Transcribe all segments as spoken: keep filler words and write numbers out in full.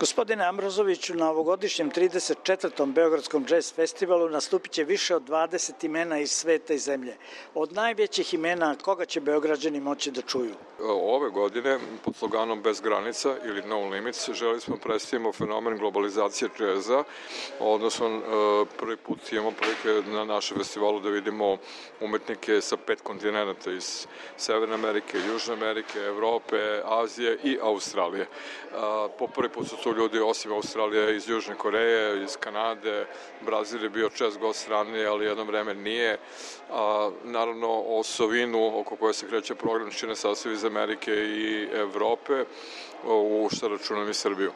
Gospodine Ambrozoviću, na ovogodišnjem trideset četvrtom Beogradskom džez festivalu nastupit će više od dvadeset imena iz sveta i zemlje. Od najvećih imena koga će Beograđani moći da čuju? Ove godine, pod sloganom Bez granica ili No Limits, želi smo predstavimo fenomen globalizacije džeza, odnosno prvi put imamo prilike na našem festivalu da vidimo umetnike sa pet kontinenta, iz Severne Amerike, Južne Amerike, Evrope, Azije i Australije. Po prvi put su tu ljudi osim Australije iz Južne Koreje, iz Kanade, Brazil je bio čest gost strane, ali jedno vreme nije. A, naravno, osovinu oko koje se kreće program čine sastav iz Amerike i Evrope, u što računam i Srbiju.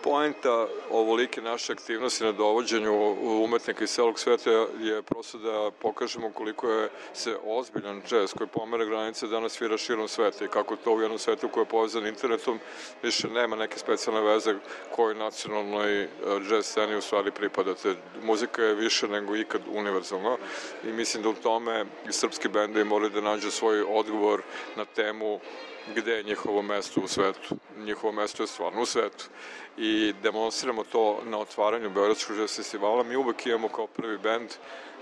Poenta ovolike naše aktivnosti na dovođenju umetnika iz celog sveta je prosto da pokažemo koliko je se ozbiljan džez koji pomera granice danas svira širom sveta i kako to u jednom svetu koji je povezan internetom više nema neke specijalne veze koji nacionalnoj džez sceni u stvari pripadate. Muzika je više nego ikad univerzalna i mislim da u tome i srpski bendovi moraju da nađu svoj odgovor na temu gde je njihovo mesto u svetu. Njihovo mesto je stvarno u svetu. I demonstriramo to na otvaranju Beogradskog džez festivala. Mi uvek imamo kao prvi bend,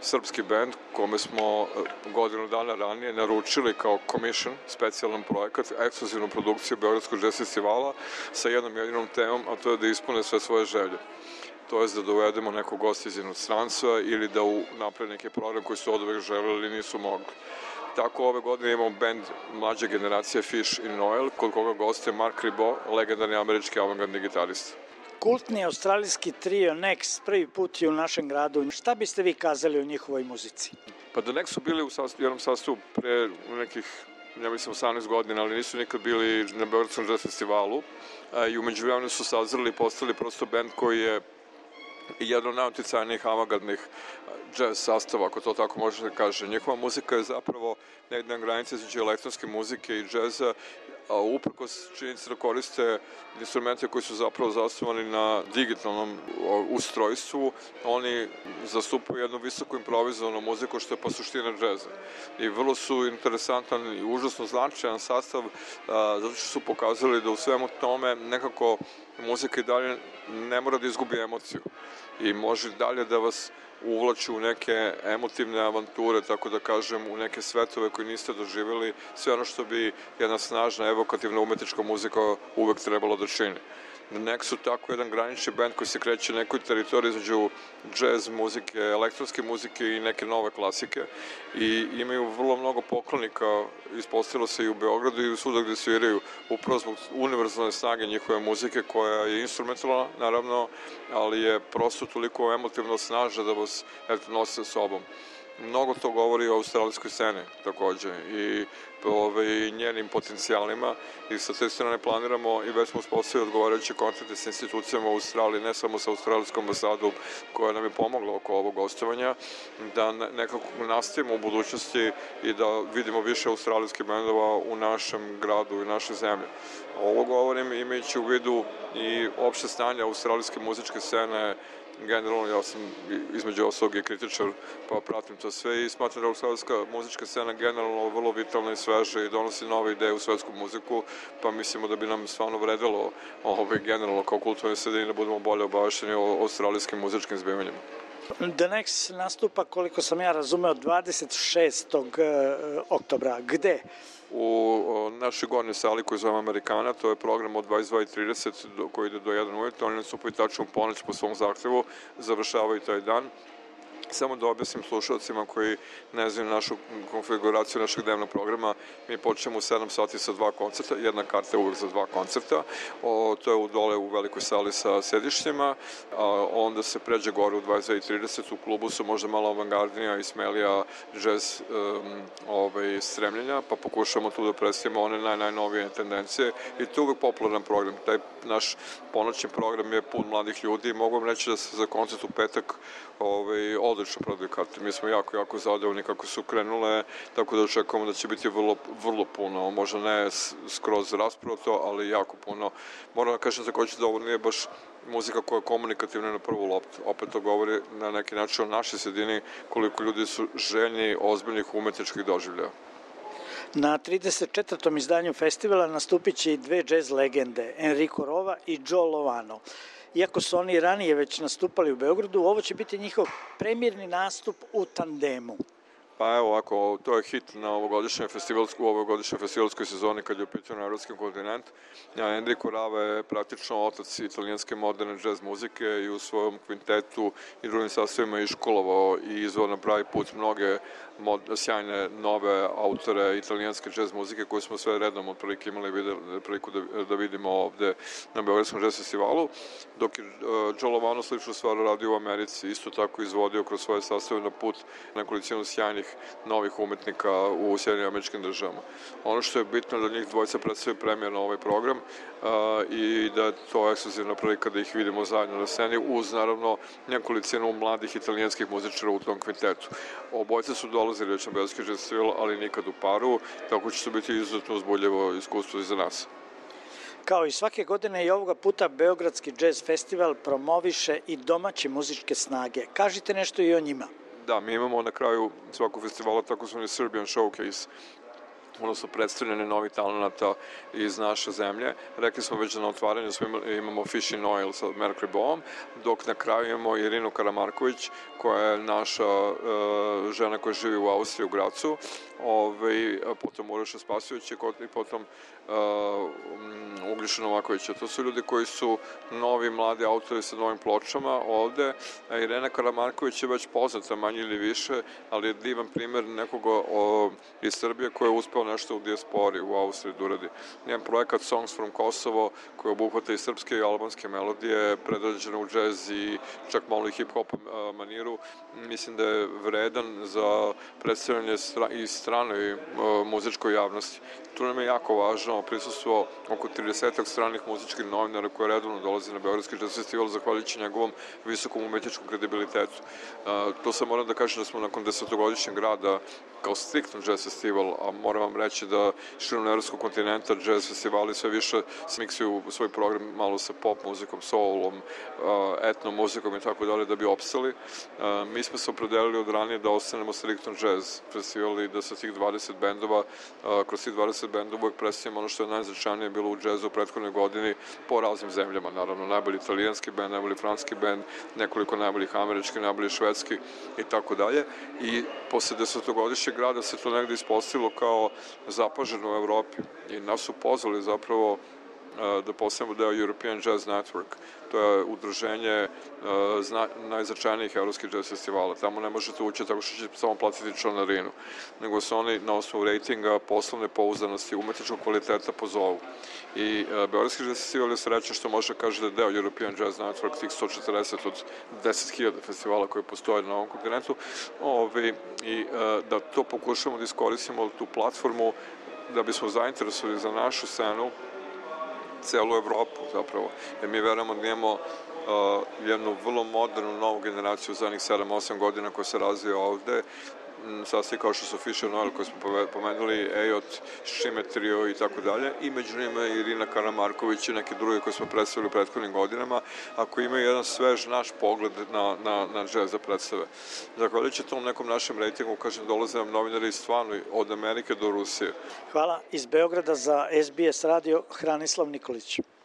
srpski bend, kome smo godinu dana ranije naručili kao commission, specijalan projekat, ekskluzivnu produkciju Beogradskog džez festivala sa jednom jedinom temom, a to je da ispune sve svoje želje. To je da dovedemo nekog gosta iz inostranstva ili da napravi neki program koji su od uvek želeli ili nisu mogli. Tako ove godine imamo band mlađe generacije Fish i Noel, kod koga goste Mark Ribot, legendarni američki avangardni gitarista. Kultni australijski trio Next prvi put je u našem gradu. Šta biste vi kazali o njihovoj muzici? Pa da Next su bili u jednom sastavu pre nekih, ja mislim, osamnaest godina, ali nisu nikad bili na Beogradskom džez festivalu i umeđu vremenu su sazreli i postali prosto band koji je jedan od najuticajnijih avangardnih džez sastava, ako to tako može da kaže. Njihova muzika je zapravo negde na granici između elektronske muzike i džeza, a uprkos činjenici da koriste instrumente koji su zapravo zasnovani na digitalnom ustrojstvu, oni zastupaju jednu visoko improvizovanu muziku što je pa suština džeza. I vrlo su interesantan i užasno značajan sastav, zato što su pokazali da u svemu tome nekako muzika i dalje ne mora da izgubi emociju i može dalje da vas uvlači u neke emotivne avanture, tako da kažem, u neke svetove koje niste doživjeli, sve ono što bi jedna snažna, evokativna umetnička muzika uvek trebalo da čini. Nek su tako jedan granični band koji se kreće na nekoj teritoriji između džez muzike, elektronske muzike i neke nove klasike i imaju vrlo mnogo poklonika, ispostavilo se i u Beogradu i u svuda gde sviraju, upravo zbog univerzalne snage njihove muzike koja je instrumentalna, naravno, ali je prosto toliko emotivno snažna da vas nosi sa sobom. Mnogo to govori o australijskoj sceni takođe i ove, njenim potencijalima i sa te strane planiramo i već smo uspostavili odgovarajuće kontakte sa institucijama u Australiji, ne samo sa australijskom ambasadom koja nam je pomogla oko ovog gostovanja, da nekako nastavimo u budućnosti i da vidimo više australijskih bendova u našem gradu i našoj zemlji. Ovo govorim imajući u vidu i opšte stanje australijske muzičke scene. Generalno, ja sam između ostalog i kritičar, pa pratim to sve i smatram da australijska muzička scena generalno vrlo vitalna i sveža i donosi nove ideje u svetsku muziku, pa mislimo da bi nam stvarno vredelo ovaj, generalno kao kulturne sredine da budemo bolje obavešteni o australijskim muzičkim zbivanjima. The Next nastupa, koliko sam ja razumeo, dvadeset šestog oktobra. Gde? U našoj gornjoj sali koju zovemo Amerikana, to je program od dvadeset dva i trideset koji ide do jedan ujutru, oni nastupaju tačno u ponoć po svom zahtevu, završavaju taj dan. Samo da objasnim slušalcima koji ne znaju našu konfiguraciju našeg dnevnog programa, mi počnemo u sedam sati sa dva koncerta, jedna karta je uvek za dva koncerta, o, to je u dole u velikoj sali sa sedišćima, a onda se pređe gore u dvadeset dva i trideset, u klubu su možda malo avangardnija i smelija džez um, ovaj, stremljenja, pa pokušamo tu da predstavimo one naj, najnovije tendencije i to je uvek popularan program. Taj naš ponoćni program je pun mladih ljudi i mogu vam reći da se za koncert u petak ovaj, odlično prodaju karte. Mi smo jako, jako zadovoljni kako su krenule, tako da očekujemo da će biti vrlo, vrlo puno, možda ne skroz rasproto, ali jako puno. Moram da kažem takođe da ovo nije baš muzika koja je komunikativna na prvu loptu. Opet to govori na neki način o našoj sredini koliko ljudi su željni ozbiljnih umetničkih doživljaja. Na trideset četvrtom izdanju festivala nastupit će i dve džez legende, Enrico Rova i Joe Lovano. Iako su oni ranije već nastupali u Beogradu, ovo će biti njihov premijerni nastup u tandemu. Pa evo ovako, to je hit na ovogodišnjoj festivalskoj, u ovogodišnjoj festivalskoj sezoni kad je u pitanju evropski kontinent. Enrico Rava je praktično otac italijanske moderne džez muzike i u svojom kvintetu i drugim sastavima iškolovao i izveo na pravi put mnoge mod, sjajne nove autore italijanske džez muzike koje smo sve redom otprilike imali videli, priliku da, da vidimo ovde na Beogradskom džez festivalu, dok je uh, Joe Lovano sličnu stvar radio u Americi, isto tako izvodio kroz svoje sastave na put nekolicinu sjajnih novih umetnika u Sjedinim Američkim Državama. Ono što je bitno da njih dvojica predstavljaju premijer na ovaj program uh, i da je to ekskluzivna prilika da ih vidimo zajedno na sceni uz naravno nekolicinu mladih italijanskih muzičara u tom kvintetu. Obojca su dolazili već na Beogradski džez festival, ali nikad u paru, tako će to biti izuzetno uzbudljivo iskustvo i za nas. Kao i svake godine i ovoga puta Beogradski džez festival promoviše i domaće muzičke snage. Kažite nešto i o njima. Da, mi imamo na kraju svakog festivala takozvani Serbian Showcase, odnosno predstavljanje novih talenata iz naše zemlje. Rekli smo već da na otvaranju imamo Fish in Oil sa Mercury Boom, dok na kraju imamo Irinu Karamarković, koja je naša uh, žena koja živi u Austriji, u Gracu, Ove, potom Uroša Spasovića i potom uh, Uglješa Novakovića. To su ljudi koji su novi, mladi autori sa novim pločama ovde. Irena Karamarković je već poznata, manje ili više, ali je divan primer nekoga o, iz Srbije koji je uspeo nešto u dijaspori u Austriji da uradi. Njen projekat Songs from Kosovo, koji obuhvata i srpske i albanske melodije, predrađene u džez i čak malo i hip-hop maniru, mislim da je vredan za predstavljanje stra i stranoj uh, muzičkoj javnosti. Tu nam je jako važno prisustvo oko tridesetak stranih muzičkih novinara koje redovno dolaze na Beogradski džez festival zahvaljujući njegovom visokom umetničkom kredibilitetu. Uh, to sam moram da kažem da smo nakon desetogodišnjeg rada kao striktno džez festival, a moram vam reći da širom evropskog kontinenta džez festivali sve više smiksuju svoj program malo sa pop muzikom, soulom, uh, etno muzikom i tako dalje da bi opstali. Uh, mi smo se opredelili od ranije da ostanemo striktno džez festival i da sa tih dvadeset bendova, uh, kroz tih dvadeset bendova uvek predstavimo ono što je najznačajnije bilo u džezu u prethodnoj godini po raznim zemljama. Naravno, najbolji italijanski bend, najbolji franski bend, nekoliko najboljih američki, najbolji švedski i tako dalje. I posle desetogodišnjeg rada se to negde ispostavilo kao zapaženo u Evropi i nas su pozvali zapravo da postavimo deo European Jazz Network. To je udruženje uh, najznačajnijih evropskih jazz festivala. Tamo ne možete ući tako što ćete samo platiti članarinu, nego se oni na osnovu rejtinga, poslovne pouzdanosti, umetničkog kvaliteta pozovu. I uh, Beogradski jazz festival je srećan što može kaže da je deo European Jazz Network, tih sto četrdeset od deset hiljada festivala koje postoje na ovom kontinentu, Ovi, i uh, da to pokušamo da iskoristimo tu platformu da bismo zainteresovali za našu scenu celu Evropu zapravo, jer mi verujemo da imamo uh, jednu vrlo modernu novu generaciju za zadnjih sedam osam godina koja se razvija ovde, sastavi kao što su Fish in Oil koje smo pomenuli, Ejot, Šimetrio i tako dalje, i među njima Irina Karamarković i neke druge koje smo predstavili u prethodnim godinama, ako imaju jedan svež naš pogled na, na, na džez da predstave. Zahvaljujući tom nekom našem rejtingu, kažem, dolaze nam novinari stvarno od Amerike do Rusije. Hvala. Iz Beograda za S B S radio Hranislav Nikolić.